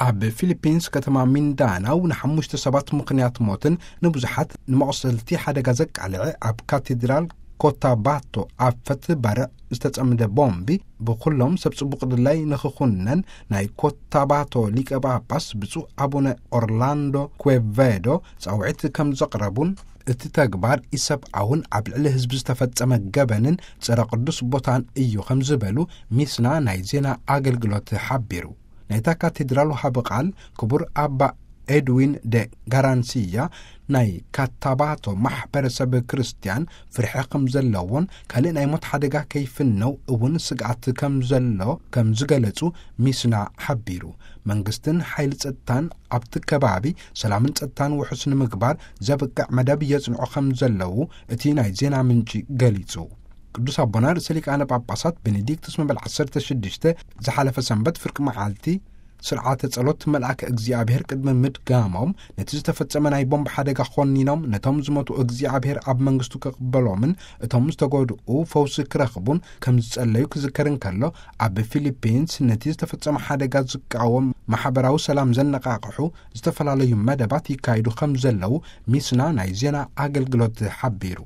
ኣብ ፊሊፒንስ ከተማ ሚንዳናው ንሓሙሽተ ሰባት ምኽንያት ሞትን ንብዙሓት ንመቑሰልቲ ሓደጋ ዘቃልዐ ኣብ ካቴድራል ኮታባቶ ኣብ ፈትባረ ዝተጸምደ ቦምቢ ብኩሎም ሰብ ጽቡቕ ድላይ ንኽኹነን ናይ ኮታባቶ ሊቀ ጳጳስ ብፁዕ ኣቡነ ኦርላንዶ ኩዌቬዶ ጻውዒት ከም ዘቕረቡን እቲ ተግባር ኢሰብኣውን ኣብ ልዕሊ ህዝቢ ዝተፈጸመ ገበንን ጸረ ቅዱስ ቦታን እዩ ከም ዝበሉ ሚስና ናይ ዜና ኣገልግሎት ሓቢሩ። ናይታ ካቴድራል ወሃቢ ቃል ክቡር ኣባ ኤድዊን ደ ጋራንሲያ ናይ ካታባቶ ማሕበረሰብ ክርስትያን ፍርሒ ከም ዘለዎን ካልእ ናይ ሞት ሓደጋ ከይፍነው እውን ስግኣት ከም ዘሎ ከም ዝገለጹ ሚስና ሓቢሩ። መንግስትን ሓይሊ ጸጥታን ኣብቲ ከባቢ ሰላምን ጸጥታን ውሑስ ንምግባር ዘብቅዕ መደብ የጽንዑ ከም ዘለዉ እቲ ናይ ዜና ምንጪ ገሊጹ። ቅዱስ ኣቦና ርእሰ ሊቃነ ጳጳሳት ቤኔዲክቱስ መበል ዓሰርተ ሽዱሽተ ዝሓለፈ ሰንበት ፍርቂ መዓልቲ ስርዓተ ጸሎት መልኣከ እግዚኣብሔር ቅድሚ ምድጋሞም ነቲ ዝተፈጸመ ናይ ቦምብ ሓደጋ ኾኒኖም ነቶም ዝሞቱ እግዚኣብሔር ኣብ መንግስቱ ክቕበሎምን እቶም ዝተጎድኡ ፈውሲ ክረኽቡን ከም ዝጸለዩ ክዝከር እንከሎ፣ ኣብ ፊሊፒንስ ነቲ ዝተፈጸመ ሓደጋ ዝቃወም ማሕበራዊ ሰላም ዘነቓቕሑ ዝተፈላለዩ መደባት ይካየዱ ከም ዘለዉ ሚስና ናይ ዜና ኣገልግሎት ሓቢሩ።